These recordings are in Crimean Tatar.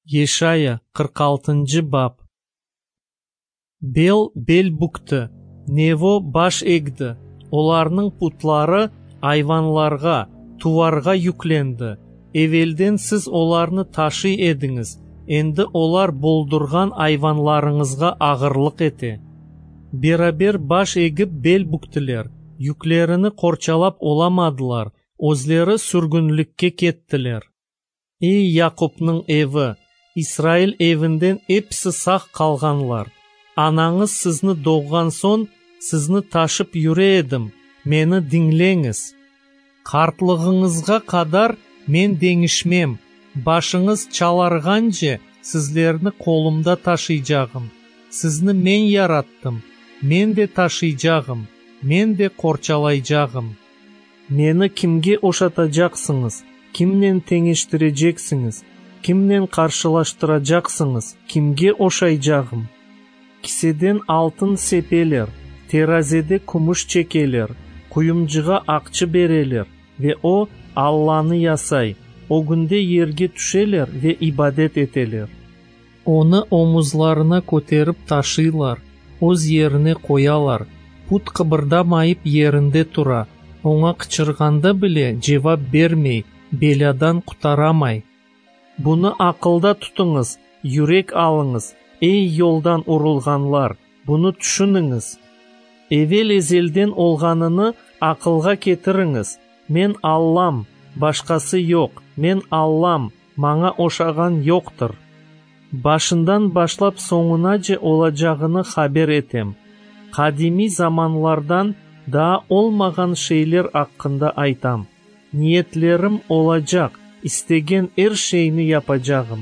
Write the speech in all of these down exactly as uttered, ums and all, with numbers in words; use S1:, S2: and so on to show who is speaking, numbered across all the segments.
S1: Yeşaya, qırq altıncı bap. Bel bel bükti, Nevo baş egdi, olarnıñ putları ayvanlarğa, tuvarğa yüklendi. Evelden siz olarnı taşıy ediñiz, endi olar boldurğan ayvanlarıñızğa ağırlıq ete. Beraber baş egip bel büktiler, yüklerini qorçalap olamadılar, özleri sürgünlikke kettiler. Ey, Yaqupnıñ evi, İsrail evinden episi sağ qalğanlar, anañız sizni doğğan soñ, sizni taşıp yüre edim, meni diñleñiz! Qartlığıñızğa qadar Men deñişmem, başıñız çalarğance, sizlerni qolumda taşıycağım. Sizni Men yarattım, Men de taşıycağım, Men de qorçalaycağım. Meni kimge oşatacaqsıñız, kimnen teñeştireceksiñiz, kimnen qarşılaştıracaqsıñız, kimge oşaycağım? Kiseden altın sepeler, terazede kümüş çekeler, quyumcığa aqçı bereler, ve o, allanı yasay, ögünde yerge tüşeler ve ibadet eteler. Onı omuzlarına köterip taşıylar, öz yerine qoyalar, put qıbırdamayıp yerinde tura, oña qıçırğanda bile cevap bermey, belâdan qurtaramay. Bunı aqılda tutuñız, yürek alıñız, ey, yoldan urulğanlar, bunı tüşüniñiz. Evel-ezelden olğanını aqılğa ketiriñiz, Men Allam, başqası yoq, Men Allam, maña oşağan yoqtır. Başından başlap soñunace olacağını haber etem, qadimiy zamanlardan daa olmağan şeyler aqqında aytam. Niyetlerim olacaq, istegen er şeyni yapacağım.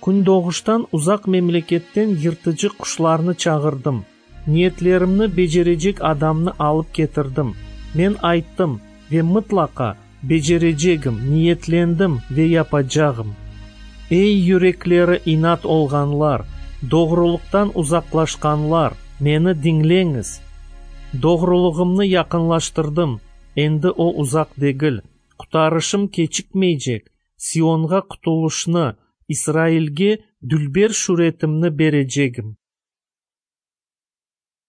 S1: Kündoğuştan, uzaq memleketten yırtıcı quşlarnı çağırdım, niyetlerimni becerecek adamnı alıp ketirdim. Men ayttım, ve mıtlaqa becerecegim, niyetlendim ve yapacağım. Ey, yürekleri inat olğanlar, doğrulıqtan uzaqlaşqanlar, meni diñleñiz! Doğrulığımnı yaqınlaştırdım, endi o uzaq degil, qurtarışım keçikmeycek, Sionğa qurtulışnı, İsrailge dülber şüretimni berecegim.